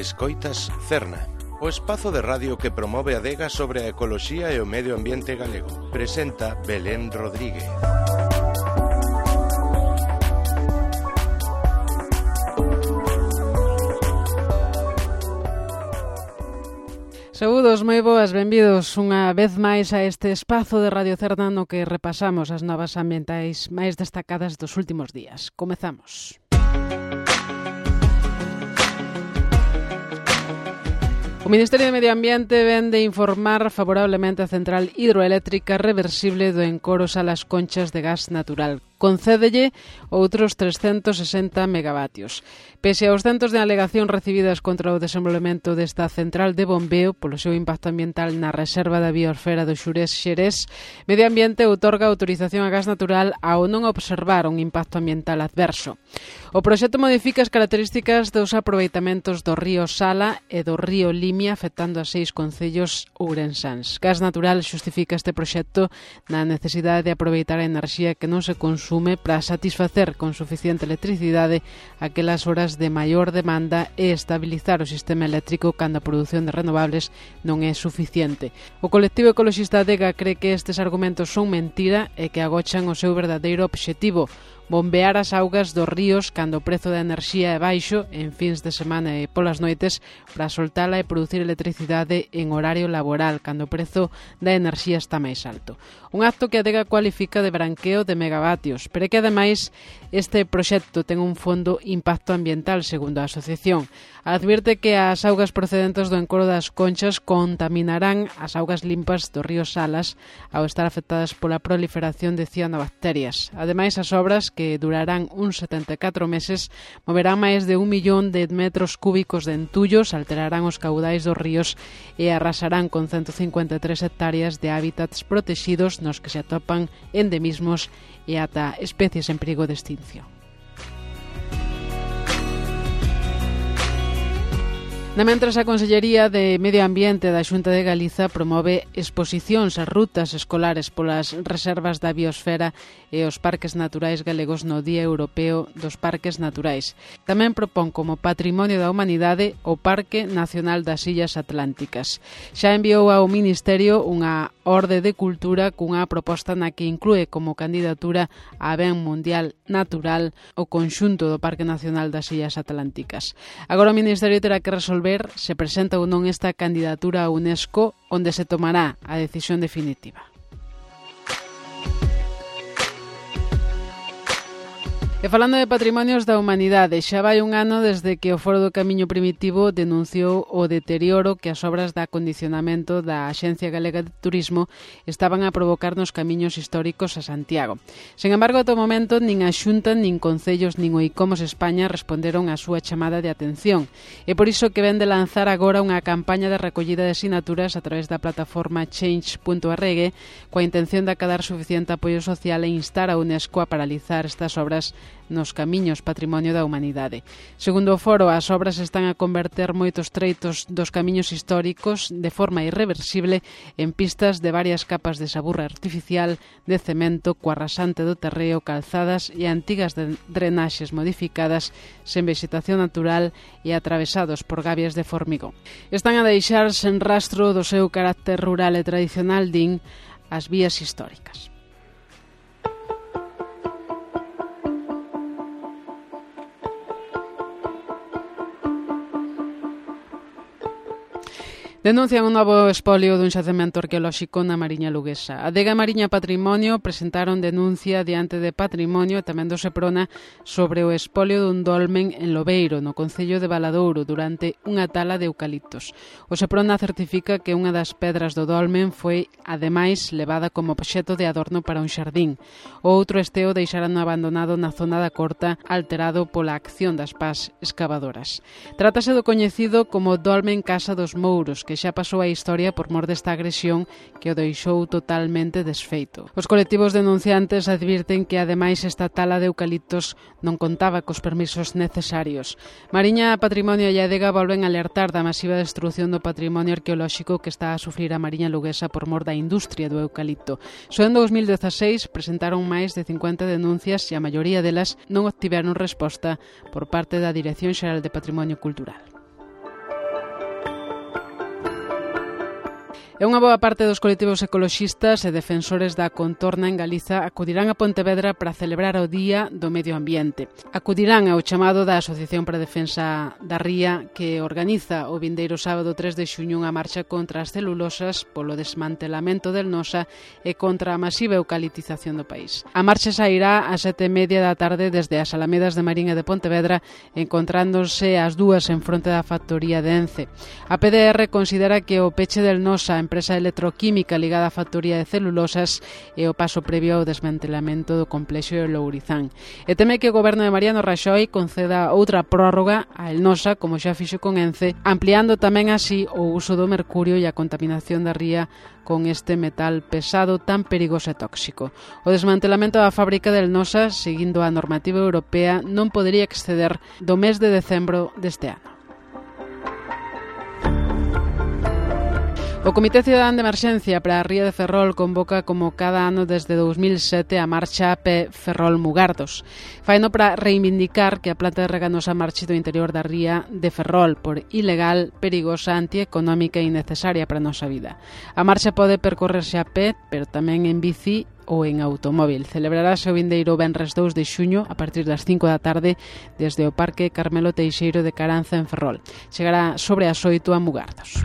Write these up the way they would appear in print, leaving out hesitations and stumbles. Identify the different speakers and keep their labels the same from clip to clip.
Speaker 1: Escoitas Cerna, o espazo de radio que promove a adega sobre a ecoloxía e o medio ambiente galego. Presenta Belén Rodríguez.
Speaker 2: Saúdos, moi boas, benvidos unha vez máis a este espazo de Radio Cerna no que repasamos as novas ambientais máis destacadas dos últimos días. Comezamos. O Ministerio de Medio Ambiente ven de informar favorablemente a central hidroeléctrica reversible do Encoro Salas Conchas de gas natural. Concédelle outros 360 megavatios. Pese aos centos de alegación recibidas contra o desenvolvemento desta central de bombeo polo seu impacto ambiental na reserva da biosfera do Xurés-Xerés, Medio Ambiente outorga autorización a gas natural ao non observar un impacto ambiental adverso. O proxecto modifica as características dos aproveitamentos do río Sala e do río Limia, afectando a 6 concellos ourensáns. Gas Natural xustifica este proxecto na necesidade de aproveitar a enerxía que non se consume para satisfacer con suficiente electricidade aquelas horas de maior demanda e estabilizar o sistema eléctrico cando a produción de renovables non é suficiente. O colectivo ecoloxista Adega cree que estes argumentos son mentira e que agochan o seu verdadeiro obxectivo: bombear as augas dos ríos cando o prezo da enerxía é baixo en fins de semana e polas noites para soltala e producir electricidade en horario laboral cando o prezo da enerxía está máis alto. Un acto que a Adega cualifica de branqueo de megavatios, pero que ademais este proxecto ten un fondo impacto ambiental, segundo a asociación. Advierte que as augas procedentes do Encoro das Conchas contaminarán as augas limpas do río Salas ao estar afectadas pola proliferación de cianobacterias. Ademais, as obras, que durarán uns 74 meses, moverán máis de 1 millón de metros cúbicos de entullos, alterarán os caudais dos ríos e arrasarán con 153 hectáreas de hábitats protegidos nos que se atopan endemismos e ata especies en perigo de extinción. Na mentras, a Consellería de Medio Ambiente da Xunta de Galiza promove exposicións a rutas escolares polas reservas da biosfera e os parques naturais galegos no Día Europeo dos Parques Naturais. Tamén propón como Patrimonio da Humanidade o Parque Nacional das Illas Atlánticas. Xa enviou ao Ministerio unha orde de cultura cunha proposta na que inclúe como candidatura a Ben Mundial Natural o conxunto do Parque Nacional das Illas Atlánticas. Agora o Ministerio terá que resolver se presenta ou non esta candidatura a UNESCO, onde se tomará a decisión definitiva. E falando de patrimonios da humanidade, xa vai un ano desde que o Foro do Camiño Primitivo denunciou o deterioro que as obras de acondicionamento da Axencia Galega de Turismo estaban a provocar nos camiños históricos a Santiago. Sen embargo, ata o momento, nin a Xunta, nin concellos, nin o ICOMOS España responderon á súa chamada de atención. É por iso que ven de lanzar agora unha campaña de recollida de sinaturas a través da plataforma change.org coa intención de acadar suficiente apoio social e instar a UNESCO a paralizar estas obras nos camiños patrimonio da humanidade. Segundo o foro, as obras están a converter moitos treitos dos camiños históricos de forma irreversible en pistas de varias capas de saburra artificial, de cemento, co arrasante do terreo, calzadas e antigas drenaxes modificadas, sen vexetación natural e atravesados por gabias de formigón. Están a deixar sen rastro do seu carácter rural e tradicional, din, as vías históricas. Denuncian un novo espolio dun xacemento arqueolóxico na Mariña Luguesa. A Adega Mariña Patrimonio presentaron denuncia diante de Patrimonio e tamén do Seprona sobre o espolio dun dolmen en Lobeiro, no concello de Valadouro, durante unha tala de eucaliptos. O Seprona certifica que unha das pedras do dolmen foi, ademais, levada como obxecto de adorno para un xardín. O outro esteo deixaran abandonado na zona da Corta, alterado pola acción das pás escavadoras. Trátase do coñecido como Dolmen Casa dos Mouros, que xa pasou a historia por mor desta agresión que o deixou totalmente desfeito. Os colectivos denunciantes advirten que, ademais, esta tala de eucaliptos non contaba cos permisos necesarios. Mariña Patrimonio e Adega volven a alertar da masiva destrución do patrimonio arqueolóxico que está a sufrir a Mariña Luguesa por mor da industria do eucalipto. Só en 2016 presentaron máis de 50 denuncias e a maioría delas non obtiveron resposta por parte da Dirección Xeral de Patrimonio Cultural. E unha boa parte dos colectivos ecoloxistas e defensores da contorna en Galiza acudirán a Pontevedra para celebrar o Día do Medio Ambiente. Acudirán ao chamado da Asociación para a Defensa da Ría, que organiza o vindeiro sábado 3 de xuño unha marcha contra as celulosas polo desmantelamento del Nosa e contra a masiva eucaliptización do país. A marcha sairá ás 7:30 da tarde desde as Alamedas de Marín e de Pontevedra, encontrándose as dúas en fronte da factoría de Ence. A PDR considera que o peche del Nosa, empresa electroquímica ligada á factoría de celulosas, é o paso previo ao desmantelamento do complexo de Lourizán. E teme que o goberno de Mariano Raxoi conceda outra prórroga a El Nosa, como xa fixo con Ence, ampliando tamén así o uso do mercurio e a contaminación da ría con este metal pesado tan perigoso e tóxico. O desmantelamento da fábrica del Nosa, seguindo a normativa europea, non podería exceder do mes de decembro deste ano. O Comité Cidadán de Emerxencia para a Ría de Ferrol convoca como cada ano desde 2007 a marcha a pé Ferrol-Mugardos. Faino para reivindicar que a planta de reganosa marche do interior da ría de Ferrol por ilegal, perigosa, antieconómica e innecesaria para a nosa vida. A marcha pode percorrerse a pé, pero tamén en bici ou en automóvil. Celebrarase o vindeiro venres 2 de xuño a partir das 5 da tarde desde o Parque Carmelo Teixeiro de Caranza en Ferrol. Chegará sobre as 8 a Mugardos.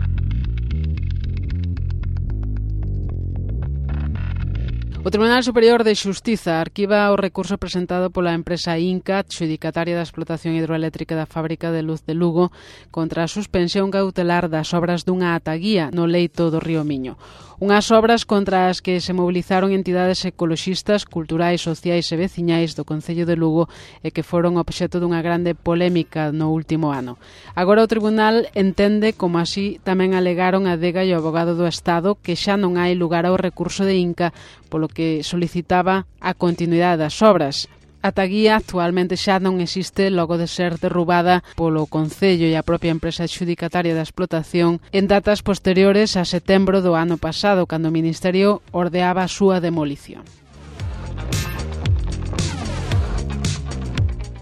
Speaker 2: O Tribunal Superior de Xustiza arquiva o recurso presentado pola empresa Inca, adxudicataria da explotación hidroeléctrica da fábrica de luz de Lugo, contra a suspensión cautelar das obras dunha ataguía no leito do río Miño. Unhas obras contra as que se mobilizaron entidades ecoloxistas, culturais, sociais e veciñais do Concello de Lugo e que foron obxecto dunha grande polémica no último ano. Agora o Tribunal entende, como así tamén alegaron a Adega e o Avogado do Estado, que xa non hai lugar ao recurso de Inca, polo que solicitaba a continuidade das obras. A taguía actualmente xa non existe logo de ser derrubada polo Concello e a propia empresa adxudicataria da explotación en datas posteriores a setembro do ano pasado, cando o Ministerio ordeaba a súa demolición.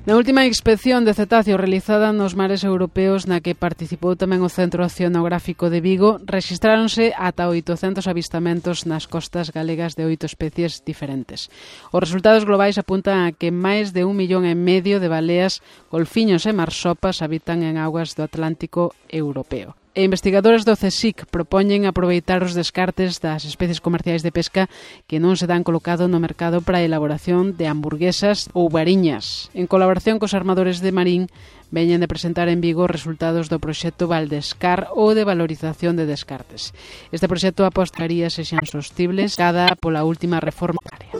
Speaker 2: Na última inspección de cetáceos realizada nos mares europeos, na que participou tamén o Centro Oceanográfico de Vigo, rexistráronse ata 800 avistamentos nas costas galegas de 8 especies diferentes. Os resultados globais apuntan a que máis de 1,5 millón de baleas, golfiños e marsopas habitan en augas do Atlántico europeo. E investigadores do CSIC propoñen aproveitar os descartes das especies comerciais de pesca que non se dan colocado no mercado para a elaboración de hamburguesas ou variñas. En colaboración cos armadores de Marín, veñen de presentar en Vigo os resultados do proxecto Valdescar ou de valorización de descartes. Este proxecto apostaría sexan sostibles cada pola última reforma área.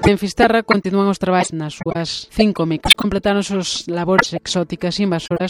Speaker 2: En Fisterra continúan os traballos nas súas 5 micas. Completaron os labores exóticas invasoras